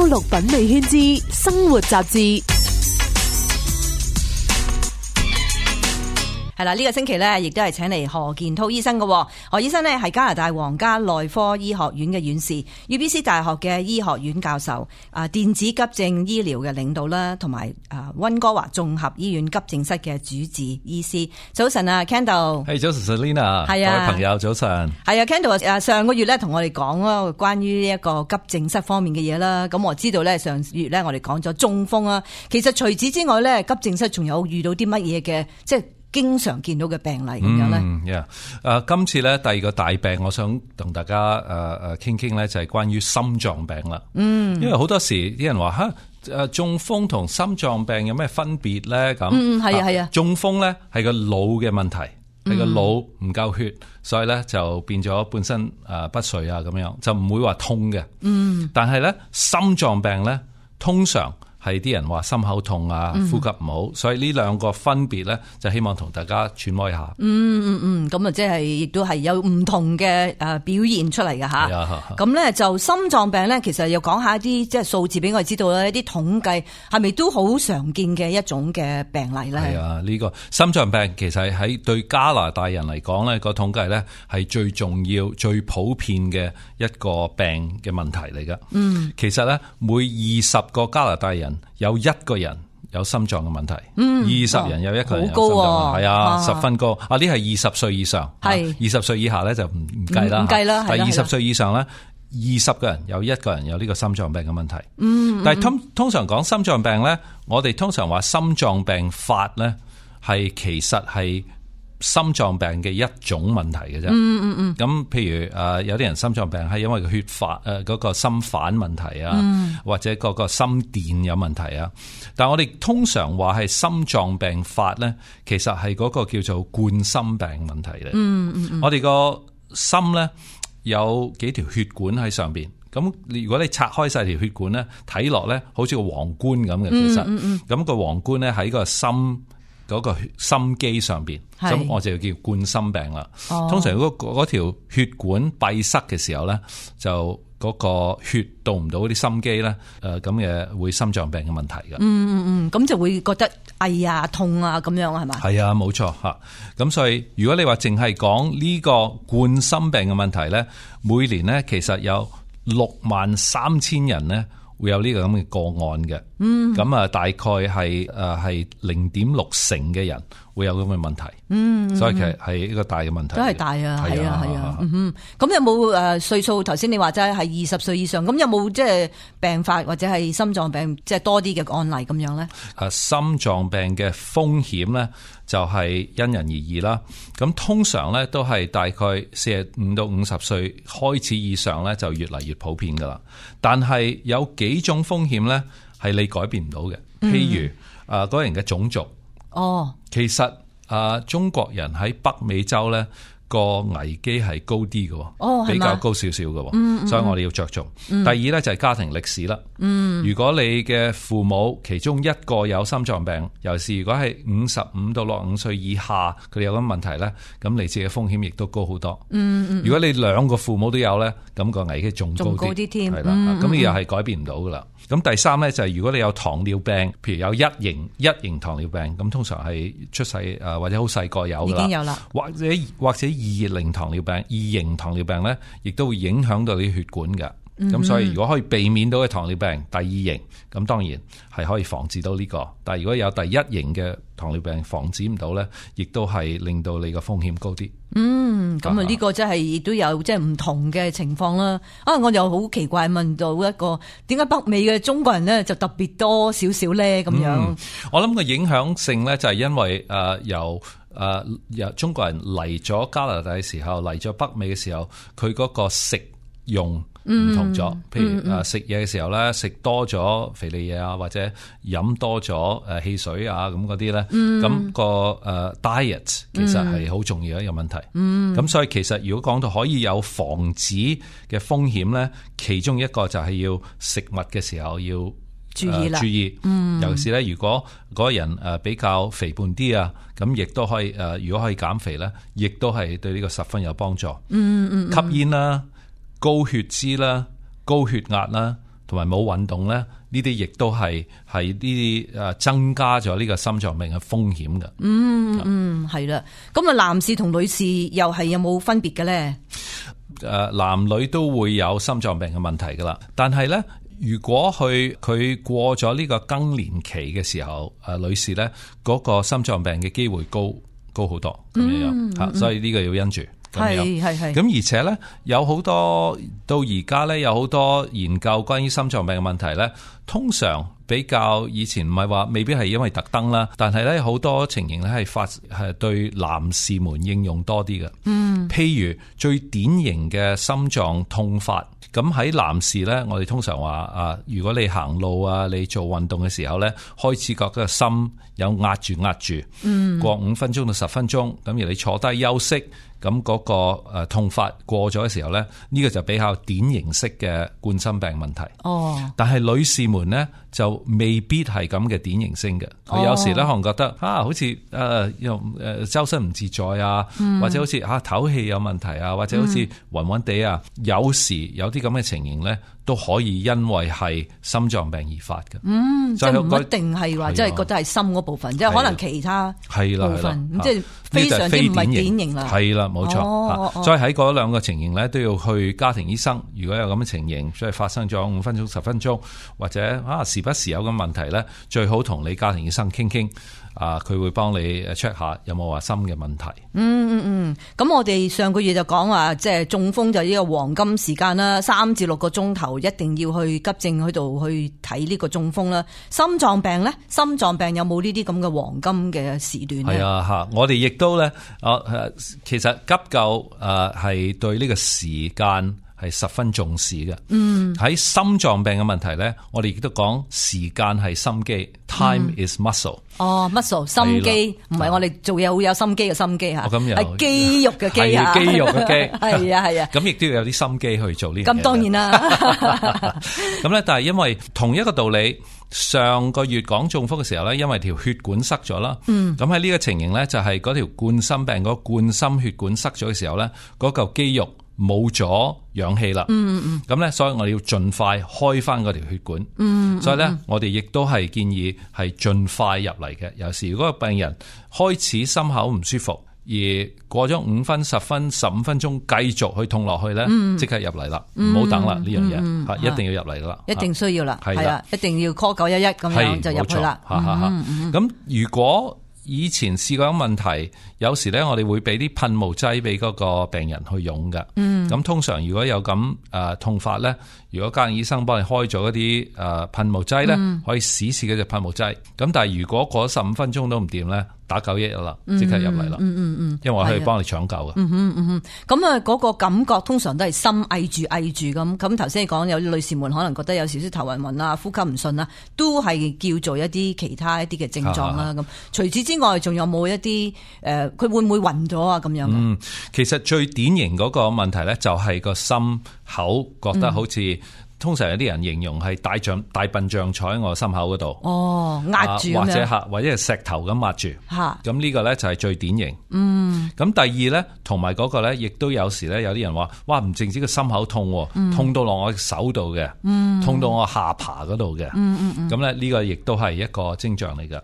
歐陸品味圈之生活雜誌。係啦，呢個星期咧，亦都係請嚟何健滔醫生嘅。何醫生呢係加拿大皇家內科醫學院嘅院士，UBC 大學嘅醫學院教授，電子急症醫療嘅領導啦，同埋溫哥華綜合醫院急症室嘅主治醫師。早晨啊 ，Kendall。係早晨 Selina， 係啊，各位朋友早晨。係啊 ，Kendall 上個月咧同我哋講啦，關於一個急症室方面嘅嘢啦。咁我知道咧上月咧我哋講咗中風啊，其實除此之外咧，急症室仲有遇到啲乜嘢嘅，即係經常見到嘅病例咁樣咧。今次咧第二個大病，我想同大家傾傾咧，就係關於心臟病啦。因為好多時啲人話中風同心臟病有咩分別咧？咁係啊，中風咧係個腦嘅問題，係個腦唔夠血，所以咧就變咗本身不遂啊咁樣，就唔會話痛嘅。但係咧心臟病咧通常係啲人話心口痛啊，呼吸唔好，所以呢兩個分別咧，就希望同大家揣摩一下。咁啊，即係亦都係有唔同嘅表現出嚟嘅吓。咁咧就心臟病咧，其實又講下一啲即係數字俾我哋知道啦，一啲統計係咪都好常見嘅一種嘅病例咧？係啊，呢個心臟病其實喺對加拿大人嚟講咧，個統計咧係最重要、最普遍嘅一個病嘅問題嚟噶。其實咧每20個加拿大人有1個人有心臟嘅問題，20人有1個人有心臟問題，係啊，10分高。呢係20歲以上，係20歲以下咧就唔計啦。但係20歲以上咧，20個人有1個人有呢個心臟病嘅問題。但係通常講心臟病咧，我哋通常話心臟病發咧係其實係心臟病嘅一種問題嘅啫。咁譬如有啲人心臟病係因為個血發嗰個心瓣問題啊，或者嗰個心電有問題啊。但係我哋通常話係心臟病發咧，其實係嗰個叫做冠心病問題咧。我哋個心咧有幾條血管喺上邊，咁如果你拆開晒條血管咧，睇落咧好似個皇冠咁嘅。其實咁個皇冠咧喺個心嗰個心肌上邊，咁我就叫冠心病啦。通常如果嗰條血管閉塞嘅時候咧，就嗰個血到唔到啲心肌咧，咁嘅會心臟病嘅問題嘅。咁就會覺得哎呀痛啊咁樣係嘛？係啊，冇錯吓。咁所以如果你話淨係講呢個冠心病嘅問題咧，每年咧其實有63000人咧會有呢個咁嘅個案嘅。咁大概係0.6% 嘅人會有咁嘅問題。所以其實係一個大嘅問題，都係大啊，係啊。咁有冇歲數？頭先你話齋係20歲以上，咁有冇即係病發或者係心臟病即係多啲嘅案例咁樣咧？心臟病嘅風險咧就係因人而異啦。咁通常咧都係大概45到50歲開始以上咧就越嚟越普遍噶啦。但係有幾種風險咧係你改變唔到嘅，譬如嗰個人嘅種族。其實中國人喺北美洲咧個危機係高啲嘅，比較高少少嘅，所以我哋要着重。第二咧就係家庭歷史啦。如果你嘅父母其中一個有心臟病，尤其是如果係55到65歲以下，佢哋有咁問題咧，咁你自己嘅風險亦都高好多。如果你2個父母都有咧，咁個危機仲高啲添。係啦，咁你又係改變唔到噶啦。咁第三咧就係如果你有糖尿病，譬如有一型糖尿病，咁通常係出世或者好細個有噶啦，已經有啦，或者2型糖尿病咧，亦都會影響到你血管嘅。咁所以如果可以避免到嘅糖尿病第2型，咁當然係可以防治到呢個。但係如果有第1型嘅糖尿病防止唔到咧，亦都係令到你個風險高啲。咁呢個真係亦都有即係唔同嘅情況啦。我又好奇怪問到一個，點解北美嘅中國人咧就特別多少少咧咁樣？我諗個影響性咧就係因為由中國人嚟咗加拿大嘅時候，嚟咗北美嘅時候，佢嗰個食用唔同咗，譬如食嘢嘅時候咧，食多咗肥膩嘢啊，或者飲多咗汽水啊咁嗰啲咧，咁個diet 其實係好重要一個問題。咁所以其實如果講到可以有防止嘅風險咧，其中一個就係要食物嘅時候要注意啦。尤其是咧，如果嗰個人比較肥胖啲啊，咁亦都可以如果可以減肥咧，亦都係對呢個十分有幫助。吸煙啦、高血脂啦、高血壓啦，同埋冇運動咧，呢啲亦都係呢啲增加咗呢個心臟病嘅風險嘅。係啦。咁啊，男士同女士又係有冇分別嘅咧？男女都會有心臟病嘅問題噶啦，但係咧，如果佢過咗呢個更年期嘅時候，女士咧嗰個心臟病嘅機會高好多咁樣嚇，所以呢個要因住。係。咁而且咧，有好多到而家咧，有好多研究關於心臟病嘅問題咧，通常比較以前唔係話未必係因為特登啦，但係咧好多情形咧係對男士們應用多啲嘅。譬如最典型嘅心臟痛發，咁喺男士咧，我哋通常話如果你行路啊，你做運動嘅時候咧，開始覺得個心有壓住，過5分鐘到10分鐘，咁而你坐低休息。咁嗰個痛發過咗嘅時候咧，呢個就比較典型式嘅冠心病問題。但係女士們咧就未必係咁嘅典型性嘅。佢有時咧可能覺得好似周身唔自在啊，或者好似唞氣有問題啊，或者好似暈暈地啊。有時有啲咁嘅情形咧，都可以因為係心臟病而發嘅。即係唔一定係話即係覺得係心嗰部分，即係可能其他部分，即係非常之唔係典型啦。係啦。冇錯，所以喺嗰兩個情形咧，都要去家庭醫生。如果有咁嘅情形，即係發生咗5分鐘、10分鐘，或者時不時有咁問題咧，最好同你家庭醫生傾傾。佢會幫你 check 下有冇話心嘅問題。咁我哋上個月就講話，即係中風就呢個黃金時間啦，3至6個鐘頭一定要去急症嗰度去睇呢個中風啦。心臟病咧，心臟病有冇呢啲咁嘅黃金嘅時段咧？係啊，我哋亦都咧，其實急救係對呢個時間係十分重視嘅。喺心臟病嘅問題咧，我哋亦都講時間係心機，time is muscle。muscle 心機，唔係我哋做嘢好有心機嘅心機嚇，係肌肉嘅肌啊，肌肉嘅肌，係啊。咁亦都要有啲心機去做呢樣嘢。咁當然啦。咁咧，但係因為同一個道理，上個月講中風嘅時候咧，因為條血管塞咗啦。咁喺呢個情形咧，就係嗰條冠心病嗰冠心血管塞咗嘅時候咧，嗰嚿肌肉冇咗氧氣啦，咁咧，所以我哋要盡快開翻嗰條血管。所以咧，我哋亦都係建議係盡快入嚟嘅。有時如果個病人開始心口唔舒服，而過咗5分、10分、15分鐘繼續去痛落去咧，即刻入嚟啦，唔好等啦，呢樣嘢一定要入嚟噶啦，一定需要啦，係啊，一定要 call 911咁樣就入去啦。咁如果以前試過問題，有時咧我哋會俾啲噴霧劑俾嗰個病人去用嘅。咁通常如果有咁痛法咧，如果家庭醫生幫你開咗一啲噴霧劑咧，可以試試嗰隻噴霧劑。咁但係如果過咗15分鐘都唔掂咧，打911啦，即刻入嚟啦。因為我可以幫你搶救嘅。咁啊，嗰個感覺通常都係心翳住咁。咁頭先你講有啲女士們可能覺得有少少頭暈暈啊、呼吸唔順啊，都係叫做一啲其他一啲嘅症狀啦。咁除此之外，仲有冇一啲佢會唔會暈咗啊？咁樣其實最典型嗰個問題咧，就係個心口覺得好似。通常有啲人形容係大笨象坐喺我心口嗰度，壓住或者係石頭咁壓住。咁呢個咧就係最典型。咁第二咧，同埋嗰個咧，亦都有時咧，有啲人話，哇，唔淨止個心口痛，痛到落我手度嘅，痛到我下巴嗰度嘅。咁咧呢個亦都係一個徵象嚟嘅。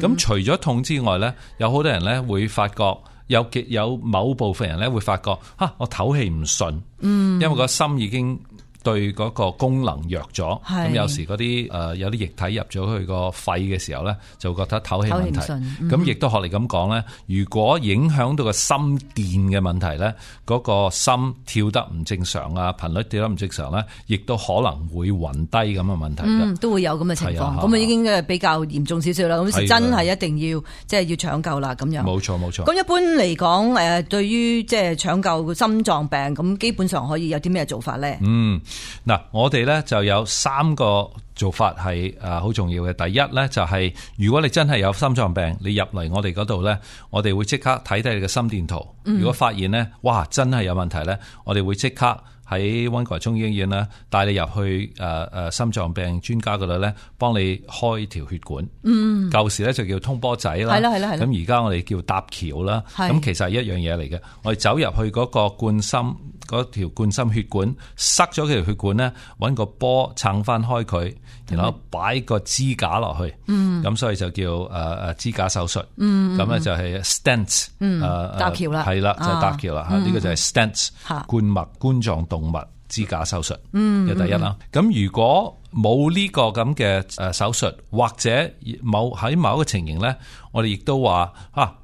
咁除咗痛之外咧，有好多人咧會發覺有某部分人咧會發覺，我唞氣唔順，因為個心已經對嗰個功能弱咗，咁有時嗰啲有啲液體入咗去個肺嘅時候咧，就會覺得唞氣問題。咁亦都學你咁講咧，如果影響到個心電嘅問題咧，嗰個心跳得唔正常啊，頻率跳得唔正常咧，亦都可能會暈低咁嘅問題。都會有咁嘅情況，咁已經比較嚴重少少啦。咁真係一定要即係要搶救啦，咁樣。冇錯。咁一般嚟講，對於即係搶救心臟病，咁基本上可以有啲咩做法咧？嗱，我哋咧就有3個做法係好重要嘅。第一咧就係如果你真係有心臟病，你入嚟我哋嗰度咧，我哋會即刻睇睇你嘅心電圖。如果發現咧，哇，真係有問題咧，我哋會即刻喺溫哥華中醫醫院咧，帶你入去心臟病專家嗰度咧，幫你開條血管。舊時咧就叫通波仔啦，咁而家我哋叫搭橋啦。咁其實係一樣嘢嚟嘅。我哋走入去嗰個嗰條冠心血管，塞咗條血管咧，揾個波撐翻開佢，然後擺個支架落去。咁所以就叫支架手術。咁咧就係 stent。搭橋啦，係啦，就係搭橋啦。呢個就係 stent 冠狀動脈支架手術嘅第一啦。咁如果冇呢個咁嘅手術，或者喺某一個情形咧，我哋亦都話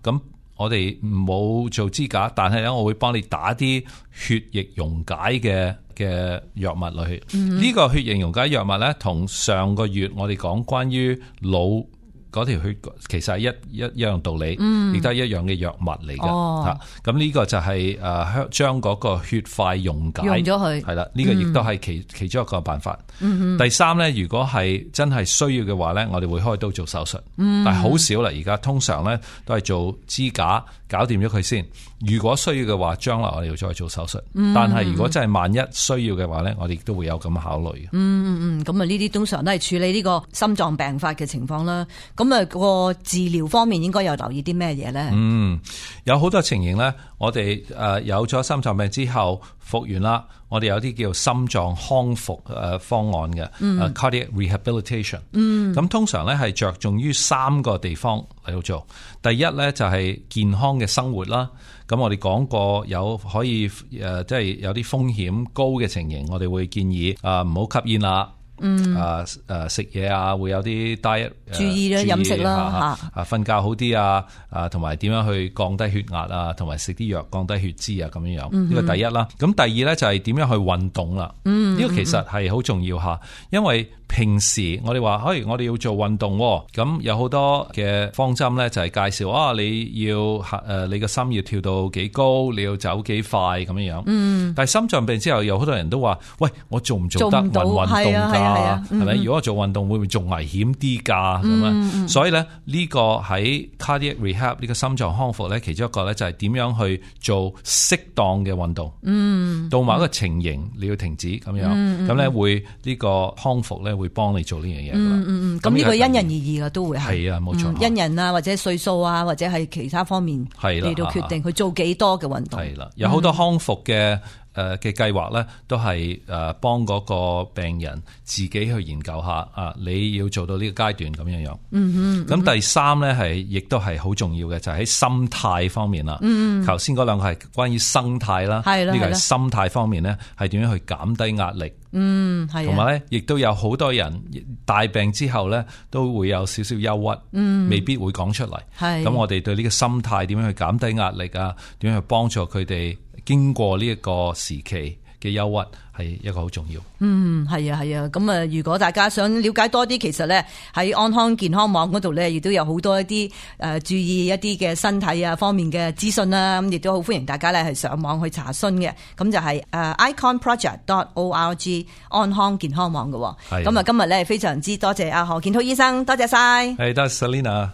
咁我哋冇做支架，但係咧我會幫你打啲血液溶解嘅藥物落去。呢個血液溶解藥物咧，同上個月我哋講關於腦嗰條血其實係一樣道理，亦都係一樣嘅藥物嚟嘅。咁呢個就係將嗰個血塊溶解咗佢，係啦。呢個亦都係其中一個辦法。第三咧，如果係真係需要嘅話咧，我哋會開刀做手術，但係好少啦。而家通常咧都係做支架搞掂咗佢先。如果需要嘅話，將來我哋要再做手術。但係如果真係萬一需要嘅話咧，我哋亦都會有咁考慮嘅。咁啊，呢啲通常都係處理呢個心臟病發嘅情況啦。咁啊，個治療方面應該有留意啲咩嘢咧？有好多情形咧，我哋有咗心臟病之後復原啦，我哋有啲叫心臟康復方案嘅，cardiac rehabilitation。咁通常咧係着重於3個地方嚟到做。第一咧就係健康嘅生活啦。咁我哋講過有可以即係有啲風險高嘅情形，我哋會建議唔好吸煙啦。食嘢啊，會有啲 diet 注意啦，飲食啦，瞓覺好啲啊，同埋點樣去降低血壓啊，同埋食啲藥降低血脂啊，咁樣樣。呢個第一啦。咁第二咧就係點樣去運動啦。呢個其實係好重要吓，因為平時我哋話，我哋要做運動，咁有好多嘅方針咧，就係介紹你要你個心要跳到幾高，你要走幾快咁樣樣。但係心臟病之後，有好多人都話，喂，我做唔做得運動㗎？係咪？如果我做運動會唔會仲危險啲㗎？咁啊，所以咧呢個喺 cardiac rehab 呢個心臟康復咧，其中一個咧就係點樣去做適當嘅運動。到某一個情形你要停止咁樣，咁咧會呢個康復咧會幫你做呢樣嘢。咁呢個因人而異嘅都會係啊，冇錯。因人啊，或者歲數啊，或者係其他方面嚟到決定去做幾多嘅運動。係啦，有好多康復嘅計劃咧，都係幫嗰個病人自己去研究下你要做到呢個階段咁樣樣。咁第三咧係亦都係好重要嘅，就係喺心態方面啦。頭先嗰兩個係關於生態啦，呢個係心態方面咧，係點樣去減低壓力。同埋咧，亦都有好多人大病之後咧，都會有少少憂鬱，未必會講出嚟。咁我哋對呢個心態點樣去減低壓力啊？點樣去幫助佢哋經過呢一個時期嘅憂鬱，係一個好重要。係啊。咁如果大家想了解多啲，其實咧喺安康健康網嗰度咧，亦都有好多一啲注意一啲嘅身體啊方面嘅資訊啦。咁亦都好歡迎大家咧係上網去查詢嘅。咁就係iconproject.org 安康健康網嘅。咁今日咧非常之多謝阿何建滔醫生，多謝晒。多謝 Selina。